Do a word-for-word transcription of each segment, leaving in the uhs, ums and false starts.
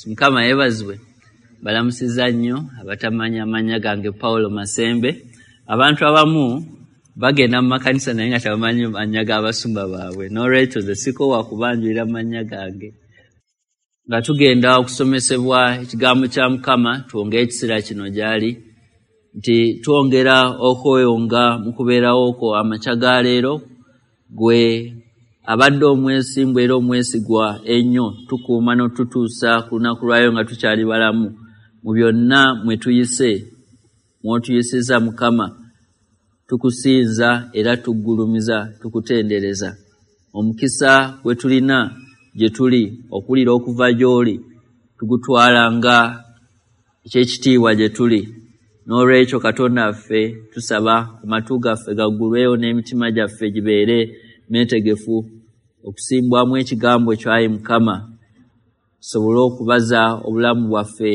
Mukama yeebazibwe. Balamusizza nnyo abatamanya amannya gange Paulo Masembe. Abantu abamu bagenda mu makanisa naye nga tebamanyi mannya g'abasumba baabwe, n'olwekyo nze sikoowa kubanjulira mannya gange. Nga tugenda okusomesebwa ekigambo kya Mukama, twongere ekiseera kino gy'ali nti twongera okweyonga mu kubeerawo kwo amakya ga leero, gwe abadde omwesimbu era omwesigwa ennyo, tukuuma n'otutuusa ku lunaku lwayo nga tukyali balamu. Mu byonna mwe tuyise, mw'otuyisizza Mukama, tukusinza era tuggulumiza, tukutendereza. Omukisa gwe tulina gye tuli okuwulira okuva gy'oli tugutwala nga eky'ekitiibwa gye tuli. N'olwekyo Katonda waffe tusaba amatu gaffe gaggulwewo n'emitima gyaffe gibeere meetegefu okusimbwamu ekigambo kyo, ayi Mukama, tusobole okubaza obulamu bwaffe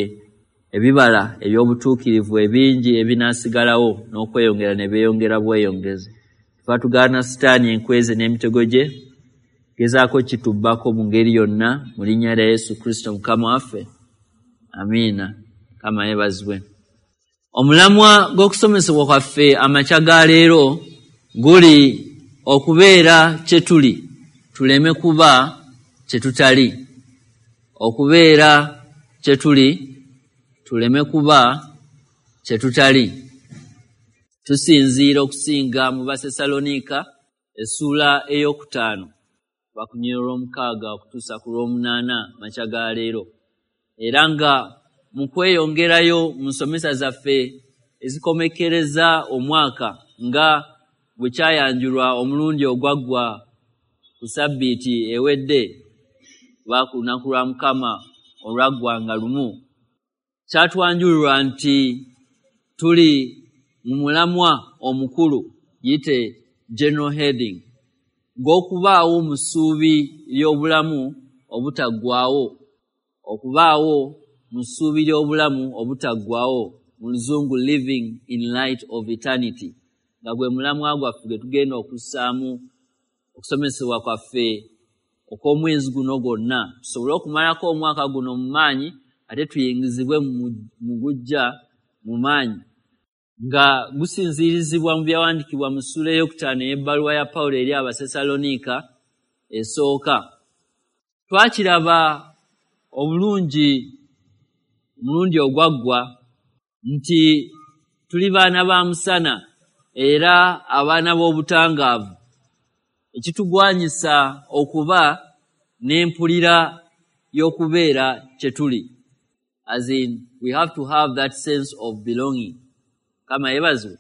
ebibala eby'obutuukirivu ebingi ebinaasigalawo n'okweyongera ne beeyongera bweyongezi. Tuba tugaana Sitaani enkweze n'emitego gye, gezaako kitubbako mu ngeri yonna, mu linnya lya Yesu Kristo Mukama waffe. Amiina. Mukama yeebazibwe. Omulamwa gw'okusomesebwa kwaffe amakya ga leero guli okubeera kye tuli, tuleme kuba kye tutali. Okubeera kye tuli, tuleme kuba kye tutali. Tusinziira okusinga mu Basessaloniika essuula ey'okutaano bakunyira olw'omukaaga okutuusa ku lw'omunaana makya ga leero. Era nga mu kweyongerayo mu nsomesa zaffe ezikomekkereza omwaka nga bwe kyayanjulwa omulundi ogwaggwa ku sabbiiti ewedde oba ku lunaku lwa Mukama olwaggwa nga lumu, kyatwanjulirwa nti tuli mu mulamwa omukulu, giyite general heading, ng'okubaawo mu ssuubi ly'obulamu obutaggwaawo. Okubaawo mu ssuubi ly'obulamu obutaggwaawo, mu Luzungu living in light of eternity, nga gwe mulamwa gwaffe gwe tugenda okussaamu okusomesebwa kwaffe okw'omwezi guno gwonna, tusobole okumalako omwaka guno mu maanyi ate tuyingizibwe mu gujja mu maanyi, nga gusinziirizibwa mu byawandiikibwa mu ssuula ey'okutaano ey'ebbaluwa ya Pawulo eri Abasessaloniika esooka. Twakiraba obulungi omulundi ogwaggwa nti tuli baana ba musana era abaana b'obutangaavu, ekitugwanyisa okuba n'empulira y'okubeera kye tuli. As in, we have to have that sense of belonging. Mukama yeebazibwe.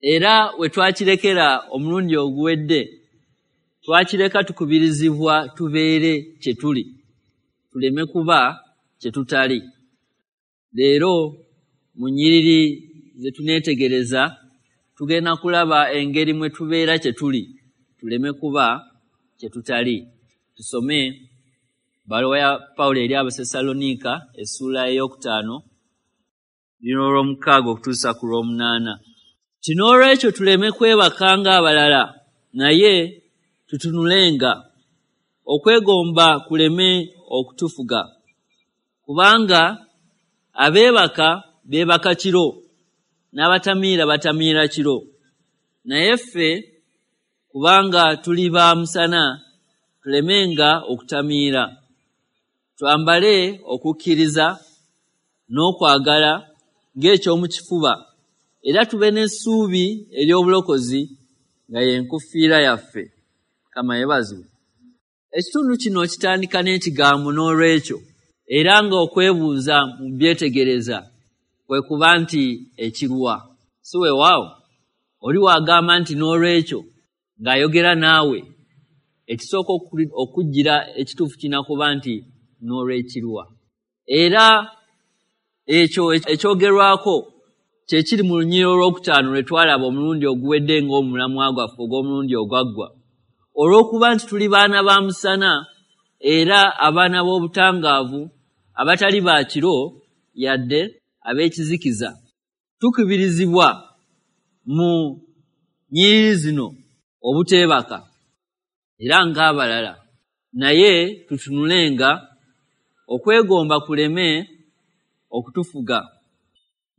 Era we twakirekera omulundi oguwedde, twakireka tukubirizibwa tubeere kye tuli, tuleme kuba kye tutali. Leero mu nnyiriri ze tuneetegereza tugenda kulaba engeri mwe tubeera kye tuli, tuleme kuba kye tutali. Tusome bbaluwa ya Pawulo eri Abasessaloniika essuula ey'okutaano lino olw'omukaaga okutuusa ku lw'omunaana. Nti n'olwekyo tuleme kwebaka ng'abalala, naye tutunulenga, okwegomba kuleme okutufuga. Kubanga abeebaka beebaka kiro, n'abatamiira batamiira kiro. Naye ffe kubanga tuli ba musana, tulemenga okutamiira. Twambale okukkiriza n'okwagala ng'ekyomu kifuba, era tube n'essuubi ery'obulokozi nga y'enkufiira yaffe. Mukama yeebazibwe. Ekitundu kino kitandika n'ekigambo n'olwekyo, era ng'okwebuuza mu byetegereza kwe kuba nti ekirwa. Si weewaawo, oli w'agamba nti n'olwekyo ng'ayogera naawe, ekisooka okujjira ekituufu kirina kuba nti n'olwekirwa. Era ekyo ekyogerwako kye kiri mu lunyiriri olwokutaano lwe twalaba omulundi oguwedde ng'omulamwa gwaffe ogw'omulundi ogwaggwa. Olw'okuba nti tuli baana ba musana era abaana b'obutangaavu, abatali ba kiro yadde ab'ekizikiza, tukubirizibwa mu nnyiriri zino obuteebaka era ng'abalala, naye tutunulenga okwegomba kuleme okutufuga.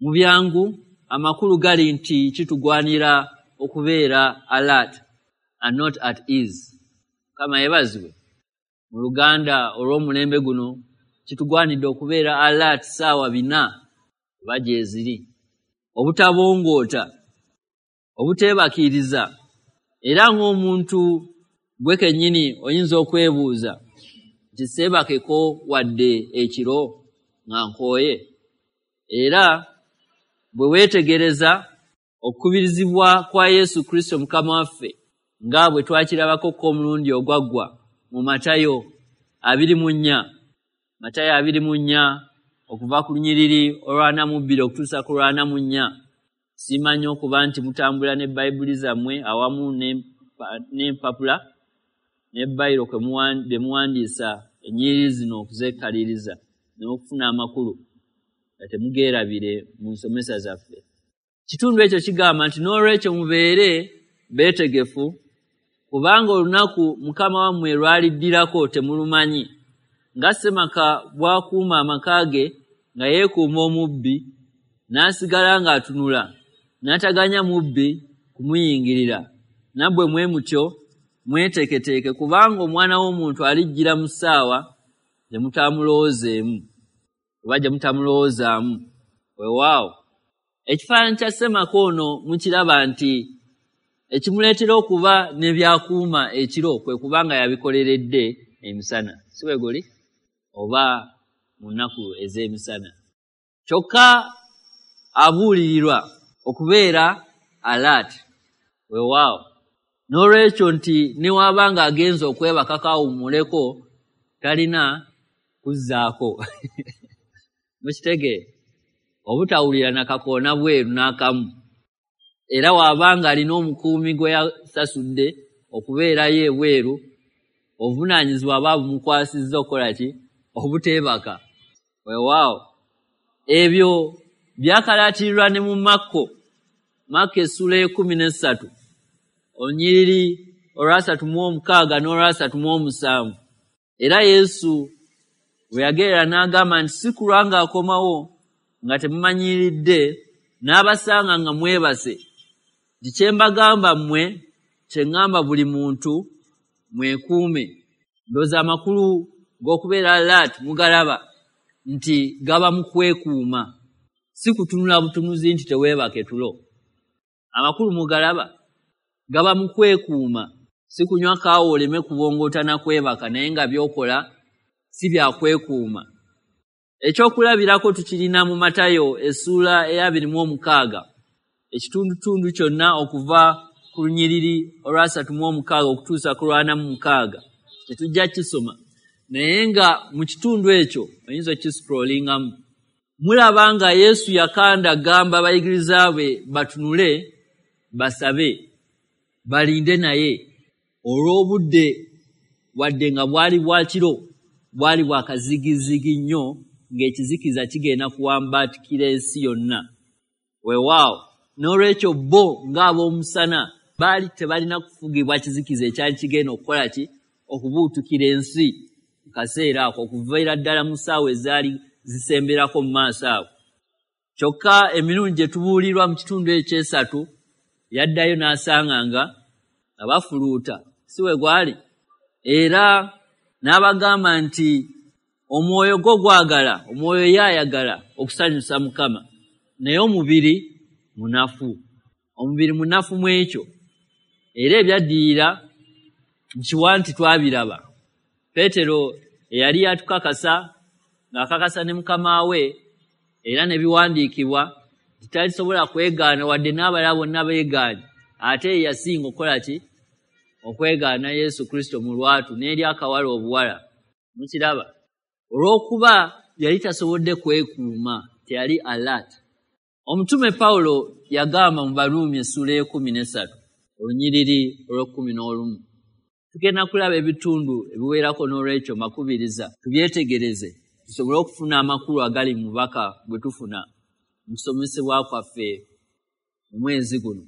Mu byangu amakulu gali nti kitugwanira okubeera alert and not at ease. Mukama yeebazibwe. Mu Luganda olw'omulembe guno kitugwanidde okubeera alert ssaawa bina oba gyeziri, obutabongoota, obuteebakiiriza. Era ng'omuntu gwe kennyini oyinza okwebuuza nti seebakeko wadde ekiro nga nkooye. Era bwe weetegereza okukubirizibwa kwa Yesu Kristo Mukama waffe nga bwe twakirabako ko omulundi ogwaggwa mu Matayo abiri mu nnya, Matayo abiri mu nnya okuva ku lunyiriri olwana mu bbiri okutuusa ku lwana mu nnya. Simanyi okuba nti mutambula ne Bayibuli zammwe awamu n'empapula ne bayiro bye muwandiisa ennyiriri zino okuzeekaliriza n'okufuna amakulu nga temugeerabire mu nsomesa zaffe. Kitundu ekyo kigamba nti n'olwekyo mubeere beetegefu, kubanga olunaku Mukama wammwe lwaliddirako temulumanyi. Nga ssemaka bw'akuuma amaka ge nga yeekuuma omubbi, n'asigala ng'atunula, n'ataganya mubbi kumuyingirira. Nammwe mwe mutyo mweteeketeeke, kubanga Omwana w'Omuntu alijjira mu ssaawa gye mutamulowoozeemu oba gye mutamulowoozaamu. Weewaawo, ekifaananyi kya ssemaka ono mukiraba nti ekimuleetera okuba ne by'akuuma ekiro kwe kubanga yabikoleredde emisana, si bwe guli? Oba mu nnaku ez'emisana. Kyokka abuulirirwa okubeera alert. Weewaawo, n'olwekyo nti ne waba ng'agenze okwebakako awummuleko, talina kuzzaako. Mukitegeera? Obutawulira nakakoona bweru n'akamu. Era waba ng'alina omukuumi gwe yasasudde okubeerayo ebweru, obuvunaanyizibwa aba bumukwasizza okukola ki? Obuteebaka. Weewaawo, ebyo byakalaatirirwa ne mu Makko, Makko essula ekkumi n'essatu olunyiriri olwasatu mu omukaaga n'olwasatu mu omusanvu. Era Yesu bwe yagerera n'agamba nti si kulwa ng'akomawo nga temumanyiridde, n'abasanga nga mwebase. Nti kye mbagamba mmwe, kye ŋŋamba buli muntu, mwekuume. Ndowooza amakulu g'okubeera alert mugalaba nti gaba mu kwekuuma, si kutunula butunuzi nti teweebake tulo. Amakulu mugalaba gaba mu kwekuuma, si kunywa kaawa oleme kubongoota na kwebaka, naye nga by'okola si bya kwekuuma. Ekyokulabirako tukirina mu Matayo essuula ey'abiri mu omukaaga, ekitundutundu kyonna okuva ku lunyiriri olwasatu mu omukaaga okutuusa ku lwana mu mukaaga. Tetujja kisoma, naye nga mu kitundu ekyo oyinza okukiscrollingamu. Mulaba nga Yesu yakanda gamba abayigiriza be batunule, basabe, balinde naye olw'obudde wadde nga bwali bwa kiro, bwali bwa kazigizigi nnyo ng'ekizikiza kigenda kuwambaatikira ensi yonna. Weewaawo, n'olwekyo bo ng'ab'omusana baali tebalina kufugibwa kizikiza ekyali kigenda okukola ki? Okubuutukira ensi mu kaseera ako, okuviira ddala mu ssaawa ezaali zisemberako mu maaso ago. Kyokka emirundi gye tubuulirwa mu kitundu ekyesatu yaddayo n'asanga nga abafuluuta, si we gwali? Era n'abagamba nti omwoyo gwo gwagala, omwoyo ye ayagala okusanyusa Mukama, naye omubiri munafu. Omubiri munafu mu ekyo. Era ebyaddirira nkiwa nti twabiraba. Peetero eyali yatukakasa ng'akakasa ne Mukama we era ne biwandiikibwa nti talisobola kwegaana wadde n'abalala bonna beegaanye, ate ye yasinga okukola ki? Okwegaana Yesu Kristo mu lwatu n'eri akawala obuwala. Mukiraba? Olw'okuba yali tasobodde kwekuuma, teyali alert. Omutume Pawulo yagamba mu Baruumi essuula ey'ekkumi n'essatu olunyiriri olw'ekkumi n'olumu. Tugenda kulaba ebitundu ebiwerako n'olwekyo mbakubiriza tubyetegereze tusobole okufuna amakulu agali mu bubaka bwe tufuna mu kusomesebwa kwaffe mu mwezi guno.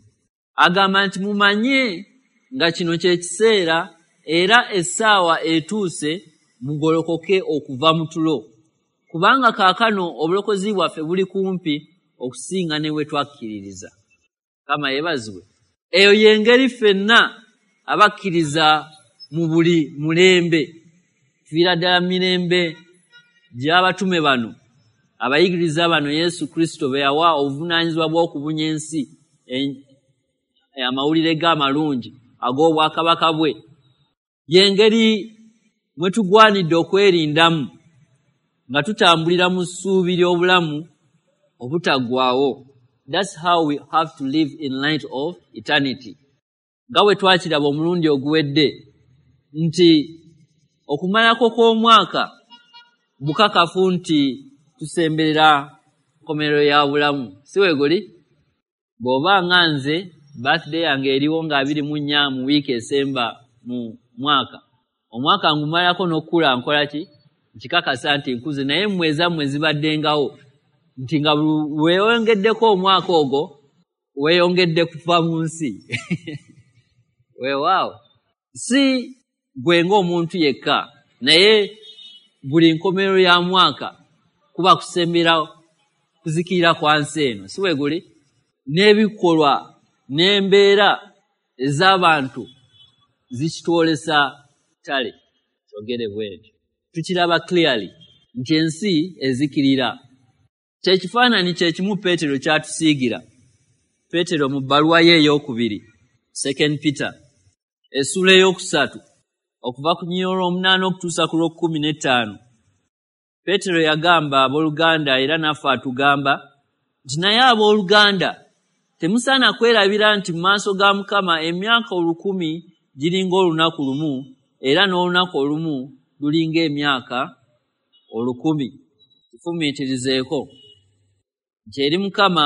Agamba nti mumanye nga kino kye kiseera era essaawa etuuse mugolokoke okuva mu tulo, kubanga kaakano obulokozi bwaffe buli kumpi okusinga ne we twakkiririza. Mukama yeebazibwe. Eyo y'engeri ffenna abakkiriza mu buli mulembe, tuviira ddala mirembe gy'abatume bano, abayigiriza bano Yesu Kristo be yawa obuvunaanyizibwa bw'okubunya ensi amawulire g'amalungi ag'obwakabaka bwe. Y'engeri mwe tugwanidde okwerindamu nga tutambulira mu ssuubi ly'obulamu obutaggwaawo. That's how we have to live in light of eternity. Nga bwe twakiraba omulundi oguwedde nti okumalako kw'omwaka bukakafu nti tusemberera nkomerero ya bulamu, si we guli? Bw'oba nga nze birthday yange eriwo nga abiri mu nnya mu wiiki esemba mu mwaka, omwaka ngumalako n'okukula nkola ki? Nkikakasa nti nkuze, naye mmwe ezammwe zibaddengawo nti nga weeyongeddeko omwaka ogwo weeyongedde kuva mu nsi. Weewaawo, si gwe ng'omuntu yekka, naye buli nkomerero ya mwaka kuba kusembera kuzikirira kwa nsi eno, si we guli? N'ebikolwa n'embeera ez'abantu zikitwolesa ttale. Kyogere bwe ntyo, tukiraba clearly nti ensi ezikirira. Kyekifaananyi kye kimu Peetero ky'atusiigira. Peetero mu bbaluwa ye ey'okubiri, Second Peter, essuula ey'okusatu okuva ku nnyiriri olw'omunaana okutuusa ku lw'okkumi n'ettaano. Peetero yagamba abooluganda, era naffe atugamba nti, naye abooluganda temusaana kwerabira nti mu maaso ga Mukama emyaka olukumi giringa olunaku lumu, era n'olunaku olumu lulinga emyaka olukumi. Kifumiitirizeeko nti eri Mukama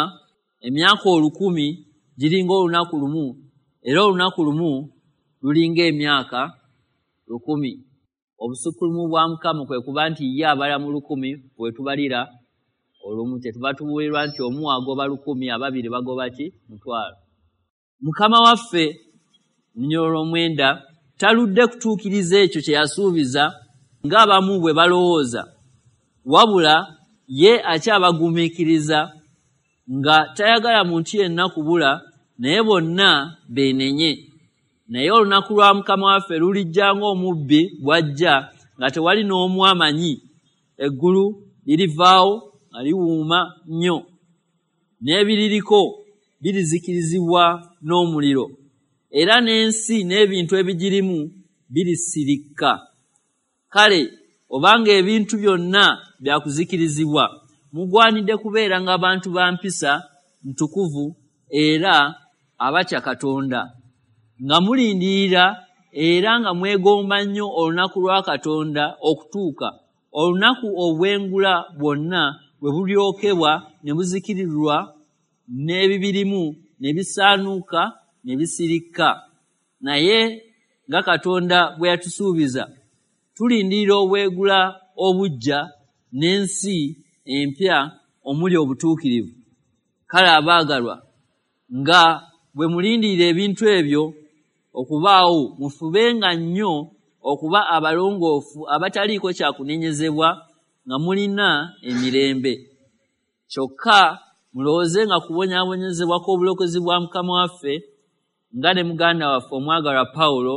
emyaka olukumi giringa olunaku lumu, era olunaku lumu lulinga emyaka lukumi. Obusukkulumu bwa Mukama kwe kuba nti ye abala mu lukumi bwe tubalira olumu. Kyetuva tubuulirwa nti omu agoba lukumi, ababiri bagoba ki? Mutwalo. Mukama waffe lunyolo olw'omwenda taludde kutuukiriza ekyo kye yasuubiza ng'abamu bwe balowooza, wabula ye akyabagumiikiriza nga tayagala muntu yenna kubula, naye bonna beenenye. Naye olunaku lwa Mukama waffe lulijja ng'omubbi bw'ajja nga tewali n'omu amanyi. Eggulu lirivaawo nga liwuuma nnyo, n'ebiririko birizikirizibwa n'omuliro, era n'ensi n'ebintu ebigirimu birisirikka. Kale obanga ebintu byonna byakuzikirizibwa, mugwanidde kubeera ng'abantu ba mpisa ntukuvu era abatya Katonda, nga mulindirira era nga mwegomba nnyo olunaku lwa Katonda okutuuka, olunaku obwengula bwonna bwe bulyokebwa ne buzikirirwa n'ebibirimu ne bisaanuuka ne bisirikka. Naye nga Katonda bwe yatusuubiza, tulindirira obwegula obuggya n'ensi empya omuli obutuukirivu. Kale abaagalwa, nga bwe mulindirira ebintu ebyo okubaawo, mufubenga nnyo okuba abalongoofu abataliiko kyakunenyezebwa, nga mulina emirembe. Kyokka mulowoozenga kubonyaabonyezebwa kw'obulokozi bwa Mukama waffe, nga ne muganda waffe omwagalwa Pawulo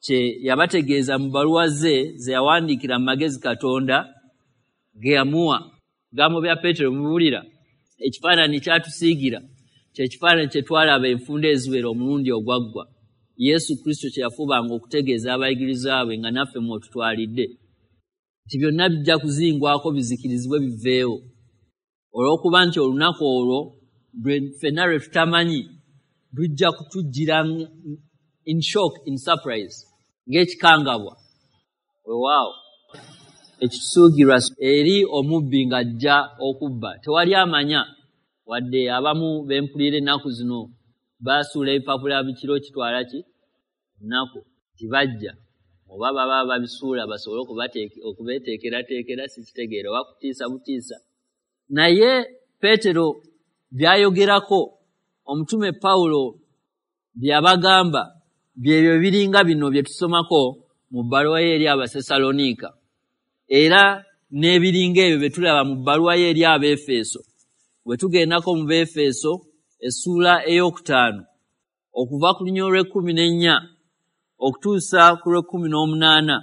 kye yabategeeza mu bbaluwa ze ze yawandiikira mu magezi Katonda ge yamuwa. Bigambo bya Peetero mubiwulira. Ekifaananyi kyatusiigira kye kifaananyi kye twalaba enfunda eziwera omulundi ogwaggwa, Yesu Kristo kye yafubanga okutegeeza abayigirizwa be nga naffe mw'otutwalidde, nti byonna bijja kuzingwako bizikirizibwe biveewo, olw'okuba nti olunaku olwo ffenna lwe tutamanyi lujja kutujjira in shock, in surprise, ng'ekikangabwa. Weewaawo ekitusuugirwa eri omubbi ng'ajja okubba, tewali amanya. Wadde abamu bempulira ennaku zino basuula ebipapula bikiro kitwala ki nnaku tibajja, oba baba babisuula basobole okubeeteekerateekera, sikitegeera, oba kutiisa butiisa. Naye Peetero by'ayogerako, omutume Pawulo by'abagamba byebyo biringa bino bye tusomako mu bbaluwa ye eri Abasessaloniika, era n'ebiringa ebyo bye tulaba mu bbaluwa ye eri Abeefeso. Bwe tugendako mu Beefeso essuula ey'okutaano okuva ku lunyiriri olw'ekkumi n'ennya okutuusa ku lw'ekkumi n'omunaana,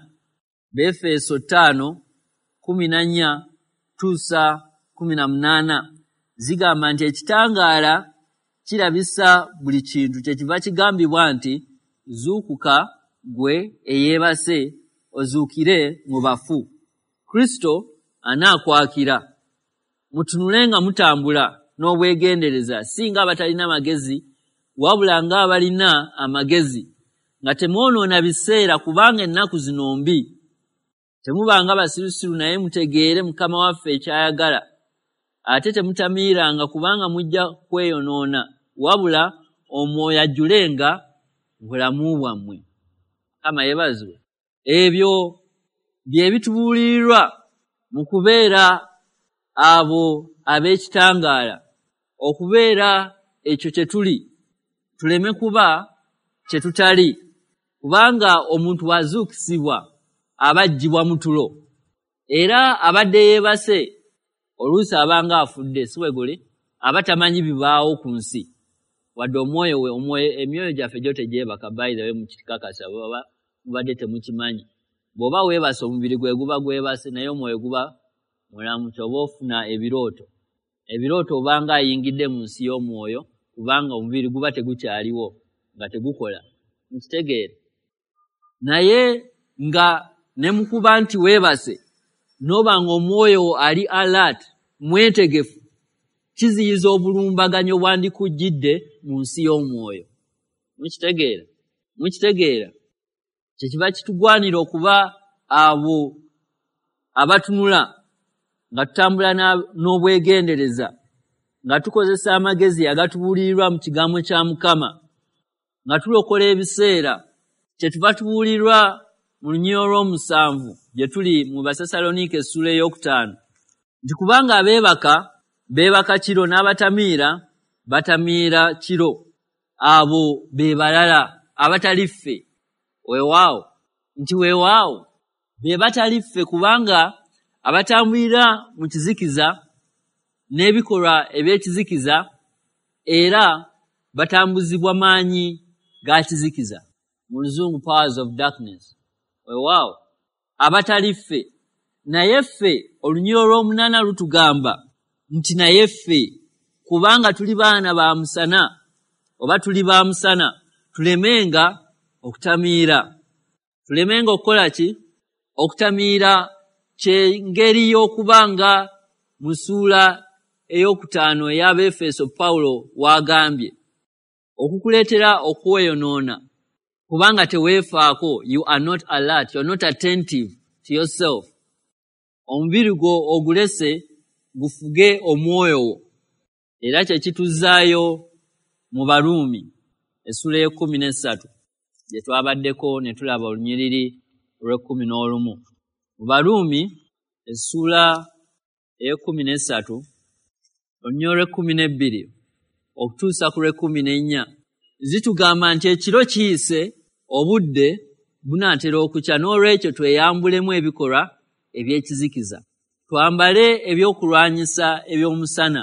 Beefeso ttaano kkumi na nnya tuusa kkumi na munaana zigamba nti ekitangaala kirabisa buli kintu, kyekiva kigambibwa nti zuukuka gwe eyeebase ozuukire mu bafu, Kristo anaakwakira. Mutunule nga mutambula n'obwegendereza, si ng'abatalina magezi wabula ng'abalina amagezi, nga temwonoona biseera kubanga ennaku zino mbi. Temubanga basirusiru naye mutegeere Mukama waffe ekyayagala. Ate temutamiiranga kubanga mujja kweyonoona, wabula omwoyo ajjulenga bulamu bwammwe. Mukama yeebazibwe. Ebyo bye bitubuulirirwa mu kubeera abo ab'ekitangaala, okubeera ekyo kye tuli, tuleme kuba kye tutali, kubanga omuntu bw'azuukisibwa aba aggyibwa mu tulo, era abadde yeebase oluusi abanga afudde, si bwe guli, aba tamanyi bibaawo ku nsi, wadde omwoyo we, omwoyo emyoyo gyaffe gyo tegyebaka. By the way, mukikakasa baba mubadde temukimanyi. Bw'oba weebase omubiri gwe guba gwebase, naye omwoyo guba mulamu. Ky'oba ofuna ebirooto, ebirooto obanga ayingidde mu nsi y'omwoyo, kubanga omubiri guba tegukyaliwo nga tegukola. Nkitegeere. Naye nga ne mukuba nti weebase n'oba ng'omwoyo wo ali alert, mwetegefu, kiziyiza obulumbaganyi obwandikujjidde mu nsi y'omwoyo. Mukitegeera? Mukitegeera? Kyekiva kitugwanira okuba abo abatunula nga tutambula n'obwegendereza, nga tukozesa amagezi agatubuulirirwa mu kigambo kya Mukama, nga tulokola ebiseera. Kyetuva tubuulirwa mu lunyiriri olw'omusanvu gye tuli mu Basessaloniika essuula ey'okutaano nti kubanga abeebaka beebaka kiro n'abatamiira batamiira kiro, abo be balala abatali ffe. Weewaawo nti weewaawo be batali ffe, kubanga abatambulira mu kizikiza n'ebikolwa eby'ekizikiza era batambuzibwa maanyi ga kizikiza, mu Luzungu powers of darkness. Weewaawo abatali ffe. Naye ffe olunyiriri olw'omunaana lutugamba nti naye ffe kubanga tuli baana ba musana oba tuli ba musana, tulemenga okutamiira. Tulemenga okukola ki? Okutamiira kyengeri y'okuba nga mu ssuula ey'okutaano ey'Abeefeso Pawulo w'agambye okukuleetera okweyonoona kubanga teweefaako. You are not alert, you are not attentive to yourself. Omubiri gwo ogulese gufuge omwoyo wo. Era kye kituzzaayo mu Baruumi essuula ey'ekkumi n'essatu gye twabaddeko ne tulaba olunyiriri olw'ekkumi n'olumu. Mu Baruumi essuula ey'ekkumi n'essatu olunyiriri olw'ekkumi n'ebbiri okutuusa ku lw'ekkumi n'ennya zitugamba nti ekiro kiyise, obudde bunaatera okukya, n'olwekyo tweyambulemu ebikolwa eby'ekizikiza, twambale ebyokulwanyisa eby'omusana,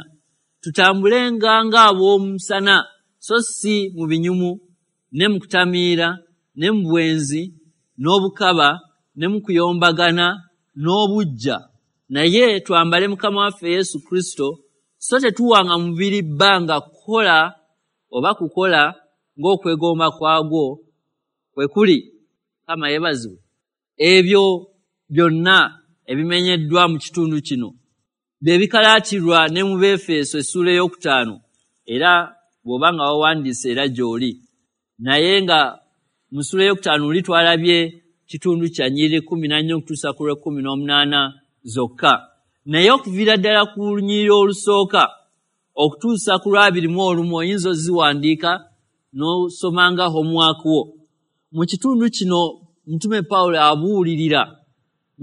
tutambulenga ng'ab'omusana, so si mu binyumu ne mu kutamiira ne mu bwenzi n'obukaba ne mu kuyombagana n'obuggya, naye twambale Mukama waffe Yesu Kristo, so tetuwanga mubiri bbanga kukola oba kukola ng'okwegomba kwagwo kwe kuli. Mukama yeebazibwe. Ebyo byonna ebimenyeddwa mu kitundu kino bye bikalaatirwa ne mu Beefeso essuula ey'okutaano, era bw'oba nga wawandiise era gy'oli. Naye nga mu ssuula ey'okutaano oli twalabye kitundu kya nnyiriri kkumi na nnya okutuusa ku lw'ekkumi n'omunaana zokka, naye okuviira ddala ku lunyiriri olusooka okutuusa ku lw'abiri mu olumu oyinza oziwandiika n'osomanga homework wo. Mu kitundu kino Mutume Pawulo abuulirira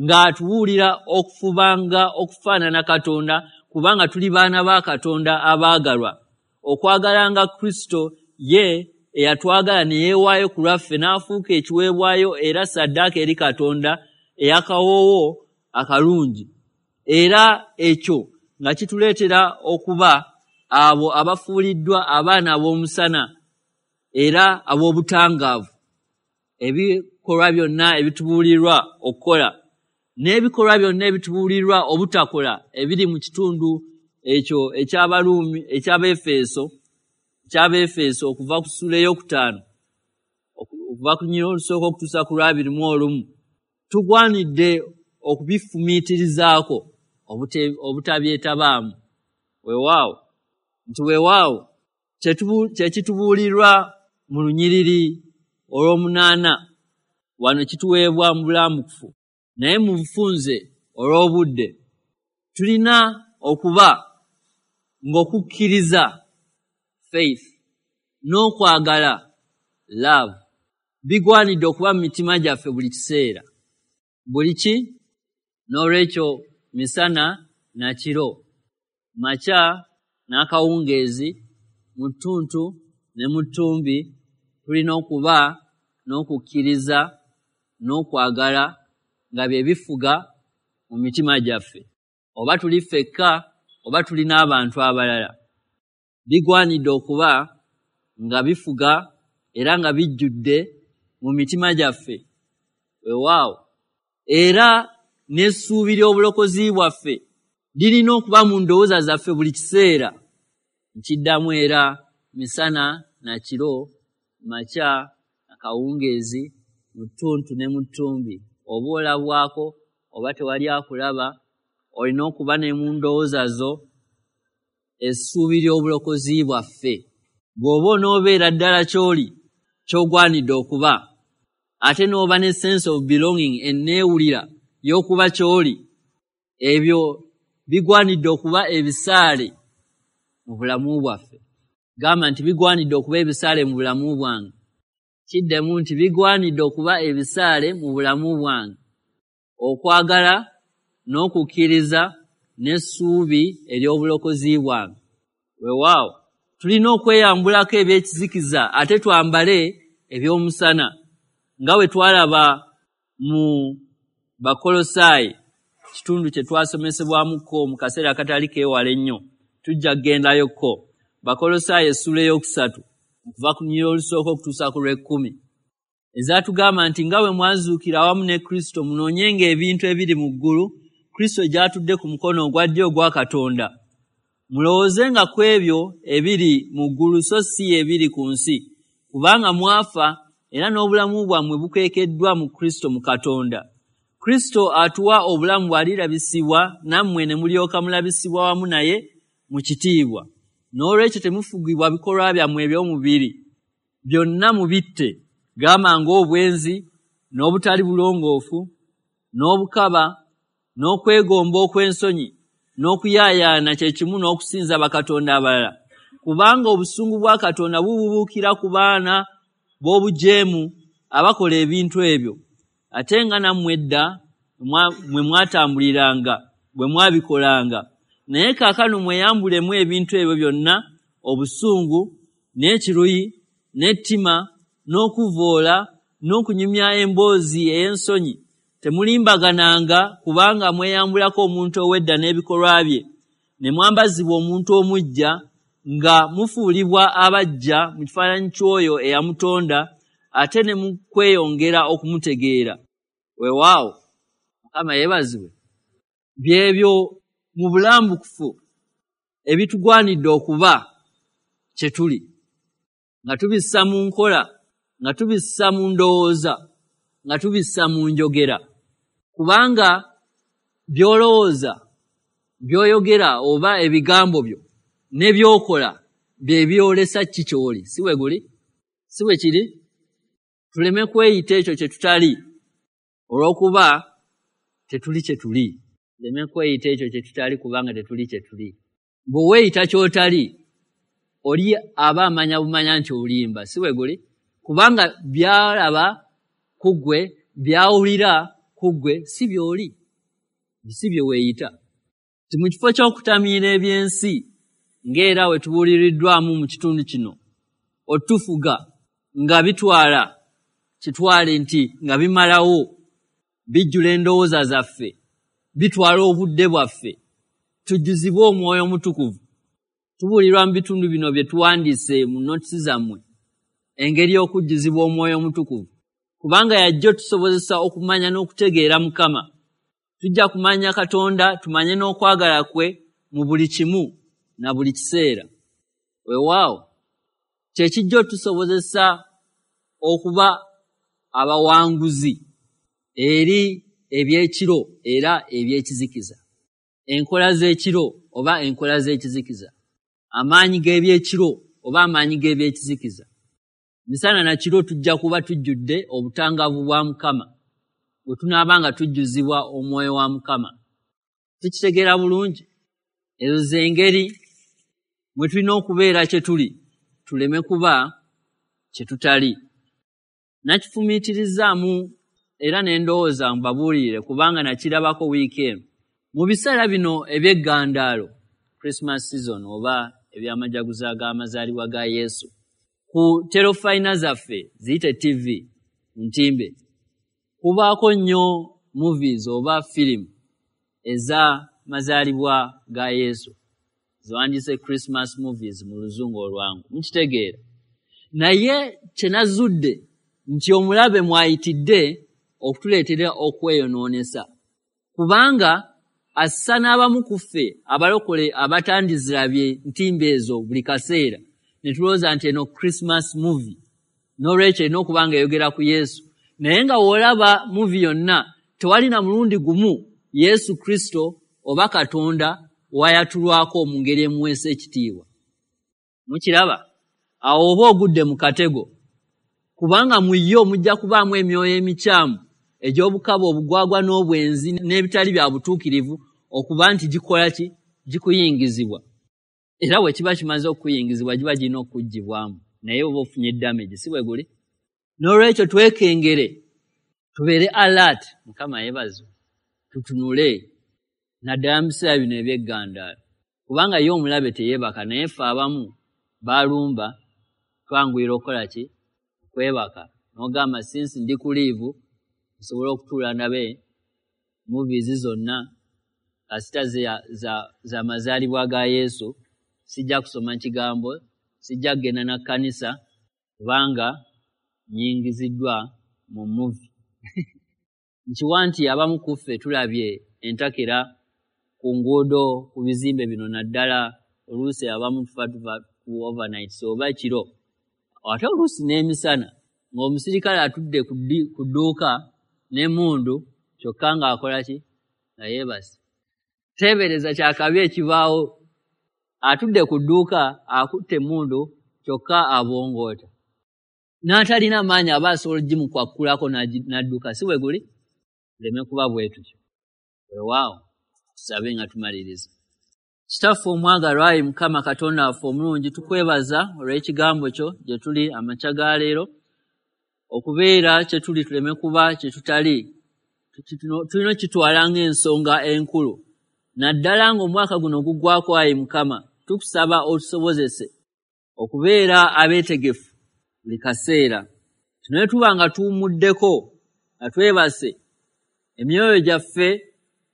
ng'atubuulira okufubanga okufaanana Katonda, kubanga tuli baana ba Katonda abaagalwa, okwagalanga Kristo ye eyatwagala ne yeewaayo ku lwaffe n'afuuka ekiweebwayo era ssaddaaka eri Katonda ey'akawoowo akalungi. Era ekyo nga kituleetera okuba abo abafuuliddwa abaana ab'omusana era ab'obutangaavu. Ebikolwa byonna ebitubuulirwa okukola n'ebikolwa byonna ebitubuulirwa obutakola ebiri mu kitundu ekyo eky'Abaruumi, eky'Abaefeso, eky'Abaefeso okuva ku ssuula ey'okutaano okuva ku lunyiriri olusooka okutuusa ku lwabiri mu olumu, tugwanidde okubifumiitirizaako obutabyetabaamu. Weewaawo nti weewaawo kye kitubuulirwa mu lunyiriri olw'omunaana wano kituweebwa mu bulambukufu, naye mu bufunze olw'obudde. Tulina okuba ng'okukkiriza faith n'okwagala love bigwanidde okuba mu mitima gyaffe buli kiseera, buli ki. N'olwekyo misana na kiro, makya n'akawungeezi, mu ttuntu ne mu ttumbi, tulina okuba n'okukkiriza n'okwagala nga bye bifuga mu mitima gyaffe, oba tuli ffekka oba tuli n'abantu abalala. Bigwanidde okuba nga bifuga era nga bijjudde mu mitima gyaffe. Weewaawo era n'essuubi ly'obulokozi bwaffe lirina okuba mu ndowooza zaffe buli kiseera. Nkiddamu era misana na kiro, makya na kawungeezi, mu ttuntu ne mu ttumbi, oba olabwako oba tewali akulaba, olina okuba ne mu ndowooza zo essuubi ly'obulokozi bwaffe. Bw'oba onoobeera ddala ky'oli ky'ogwanidde okuba, ate n'oba ne sense of belonging, enneewulira y'okuba ky'oli, ebyo bigwanidde okuba ebisaale mu bulamu bwaffe. Gamba nti bigwanidde okuba ebisaale mu bulamu bwange. Kiddemu nti bigwanidde okuba ebisaale mu bulamu bwange. Okwagala n'okukkiriza n'essuubi ery'obulokozi bwange. Weewaawo tulina okweyambulako ebyekizikiza ate twambale eby'omusana, nga bwe twalaba mu Bakolosaayi, kitundu kye twasomesebwamukko mu kaseera akatali keewala ennyo. Tujja kugendayokko. Bakolosaayi essuula ey'okusatu okuva ku lunyiriri olusooka okutuusa ku lw'ekkumi, ezaatugamba nti nga bwe mwazuukira awamu ne Kristo, munoonyenga ebintu ebiri mu ggulu, Kristo gy'atudde ku mukono ogwa ddyo ogwa Katonda. Mulowoozenga ku ebyo ebiri mu ggulu so si ebiri ku nsi, kubanga mwafa era n'obulamu bwammwe bukwekeddwa mu Kristo mu Katonda. Kristo atuwa obulamu bw'alirabisibwa, nammwe ne mulyoka mulabisibwa wamu naye mu kitiibwa. N'olwekyo temufugibwa bikolwa byammwe eby'omubiri, byonna mubitte, gamba ng'obwenzi, n'obutali bulongoofu, n'obukaba, n'okwegomba okw'ensonyi, n'okuyaayaana kye kimu n'okusinza bakatonda abalala. Kubanga obusungu bwa Katonda bububuukira ku baana b'obujeemu abakola ebintu ebyo. Ate nga nammwe edda mwe mwatambuliranga bwe mwabikolanga. Naye kaakano mweyambulemu ebintu ebyo byonna, obusungu, n'ekiruyi, n'ettima, n'okuvoola, n'okunyumya emboozi ey'ensonyi. Temulimbagananga, kubanga mweyambulako omuntu ow'edda n'ebikolwa bye, ne mwambazibwa omuntu omuggya, nga mufuulibwa abaggya mu kifaananyi ky'oyo eyamutonda, ate ne mu kweyongera okumutegeera. Weewaawo Mukama yeebazibwe. Byebyo mu bulambukufu ebitugwanidde okuba kye tuli, nga tubissa mu nkola, nga tubissa mu ndowooza, nga tubissa mu njogera. Kubanga by'olowooza, by'oyogera oba ebigambo byo ne by'okola bye byolesa ki ky'oli. Si bwe guli? Si bwe kiri? Tuleme kweyita ekyo kye tutali olw'okuba tetuli kye tuli. Tuleme kweyita ekyo kye tutali kubanga tetuli kye tuli. Bwe weeyita ky'otali, oli aba amanya bumanya nti olimba. Si bwe guli? Kubanga by'alaba ku ggwe, by'awulira ku ggwe si by'oli, si bye weeyita. Nti mu kifo ky'okutamiira eby'ensi ng'era we tubuuliriddwamu mu kitundu kino, otufuga nga bitwala kitwale nti nga bimalawo, bijjula endowooza zaffe, bitwala obudde bwaffe. Tujjuzibwe Omwoyo Omutukuvu. Tubuulirwa mu bitundu bino bye tuwandiise mu notisi zammwe engeri y'okujjuzibwa Omwoyo Omutukuvu, kubanga yajja otusobozesa okumanya n'okutegeera Mukama. Tujja kumanya Katonda, tumanye n'okwagala kwe mu buli kimu na buli kiseera. Weewaawo kye kijja otusobozesa okuba abawanguzi eri eby'ekiro era eby'ekizikiza, enkola z'ekiro oba enkola z'ekizikiza, amaanyi g'ebyekiro oba amaanyi g'ebyekizikiza. Misana na kiro tujja kuba tujjudde obutangaavu bwa Mukama bwe tunaaba nga tujjuzibwa Omwoyo wa Mukama. Tukitegeera bulungi? Ezo z'engeri mwe tulina okubeera kye tuli, tuleme kuba kye tutali. Nakifumiitirizaamu era ne ndowooza mbabuulire, kubanga nakirabako wiiki eno. Mu biseera bino eby'eggandaalo, Christmas season oba eby'amajaguza g'amazaalibwa ga Yesu, ku terofayina zaffe ziyite T V ntimbe, kubaako nnyo movies oba firimu eza mazaalibwa ga Yesu, ziwandiise Christmas movies mu luzungu olwangu, mukitegeera. Naye kye nazudde nti omulabe mwayitidde okutuleetera okweyonoonesa, kubanga assa n'abamu ku ffe abalokole abatandizirabye ntimbe ezo buli kaseera, ne tulowooza nti eno Christmas movie, n'olwekyo erina okuba nga eyogera ku Yesu. Naye nga w'olaba movie yonna tewali na mulundi gumu Yesu Kristo oba Katonda wayatulwako mu ngeri emuweesa ekitiibwa. Mukiraba? Awo oba ogudde mu katego, kubanga mu yo mujja kubaamu emyoyo emikyamu egy'obukaba, obugwagwa n'obwenzi n'ebitali bya butuukirivu, okuba nti gikola ki? Gikuyingizibwa. Era bwe kiba kimaze okuyingizibwa giba girina okuggyibwamu, naye oba ofunye damage, si bwe guli? N'olwekyo twekengere, tubeere alert. Mukama yeebazibwe, tutunule naddala mu biseera bino eby'eggandaalo, kubanga ye omulabe teyeebaka, naye ffe abamu baalumba twanguyira okukola ki? Okwebaka. N'ogamba since ndi ku liivu nsobola okutuula ndabe movies zonna kasita za, za mazaalibwa ga Yesu, sijja kusoma kigambo, sijja kugenda na kkanisa kubanga nnyingiziddwa mu movie. Nkiwa nti abamu ku ffe tulabye entakera ku nguudo, ku bizimbe bino, naddala oluusi abamu tufa tuva ku overnight oba kiro, ate oluusi n'emisana, ng'omusirikale atudde ku dduuka n'emmundu kyokka ng'akola ki? Nga yeebase. Teebereza kyakabi ekibaawo, atudde ku dduuka akutte emmundu kyokka abongoota, n'atalina maanyi aba asobola ogimukwakkulako n'adduka, si bwe guli? Tuleme kuba bwe tutyo. Weewaawo tusabe nga tumaliriza. Kitaffe omwagalwa, ayi Mukama Katonda waffe omulungi, tukwebaza olw'ekigambo kyo gye tuli amakya ga leero, okubeera kye tuli tuleme kuba kye tutali. Tulina okitwala ng'ensonga enkulu, naddala ng'omwaka guno guggwako. Ayi Mukama, tukusaba otusobozese okubeera abeetegefu buli kaseera. Tunaye tuba nga tuwummuddeko, nga twebase, emyoyo gyaffe,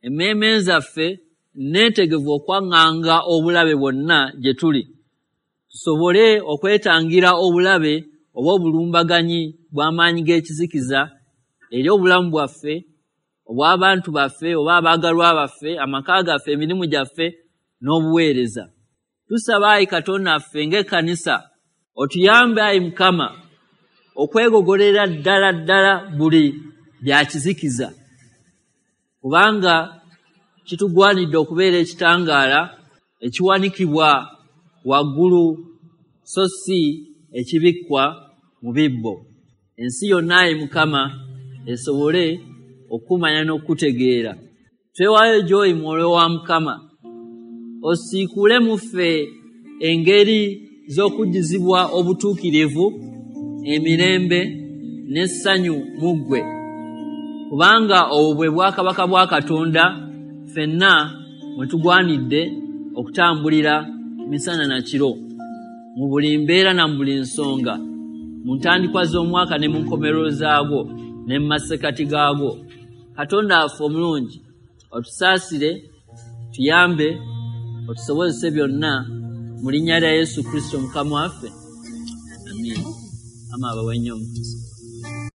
emmeeme zaffe neetegefu okwaŋŋanga obulabe bwonna gye tuli, tusobole okwetangira obulabe oba obulumbaganyi bw'amaanyi g'ekizikiza eri obulamu bwaffe, obw'abantu baffe oba abaagalwa baffe, amaka gaffe, emirimu gyaffe n'obuweereza. Tusaba ayi Katonda waffe ng'ekkanisa otuyambe ayi Mukama okwegogolera ddala ddala buli bya kizikiza, kubanga kitugwanidde okubeera ekitangaala ekiwanikibwa waggulu so si ekibikkwa mu bibbo. Ensi yonna ayi Mukama esobole okumanya n'okutegeera. Twewaayo gy'oli Mwoyo wa Mukama, osiikule mu ffe engeri z'okujjuzibwa obutuukirivu, emirembe n'essanyu mu ggwe, kubanga obwo bwe bwakabaka bwa Katonda ffenna mwe tugwanidde okutambulira misana na kiro, mu buli mbeera na mu buli nsonga. mu ntandikwa z'omwaka ne mu nkomerero zaagwo ne mu masekati gaagwo. Katonda waffe omulungi, otusaasire, tuyambe, otusobozese byonna mu linnya lya Yesu Kristo Mukama waffe. Amiina. Ama abawe nnyo omukisa.